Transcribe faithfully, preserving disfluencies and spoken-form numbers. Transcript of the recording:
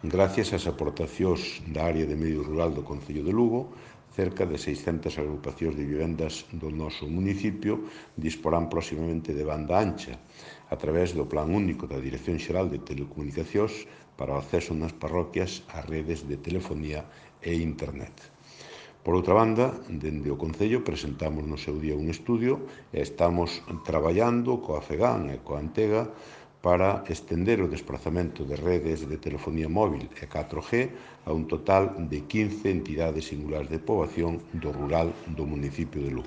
Gracias ás aportacións da área de medio rural do Concello de Lugo, cerca de seiscentas agrupacións de vivendas do noso municipio disporán próximamente de banda ancha, a través do Plan Único da Dirección Xeral de Telecomunicacións para o acceso nas parroquias ás redes de telefonía e internet. Por outra banda, dende o Concello presentamos no seu día un estudio e estamos traballando coa FEGAN e coa Antega para estender o desprazamento de redes de telefonía móvil e catro G a un total de quince entidades singulares de poboación do rural do municipio de Lugo.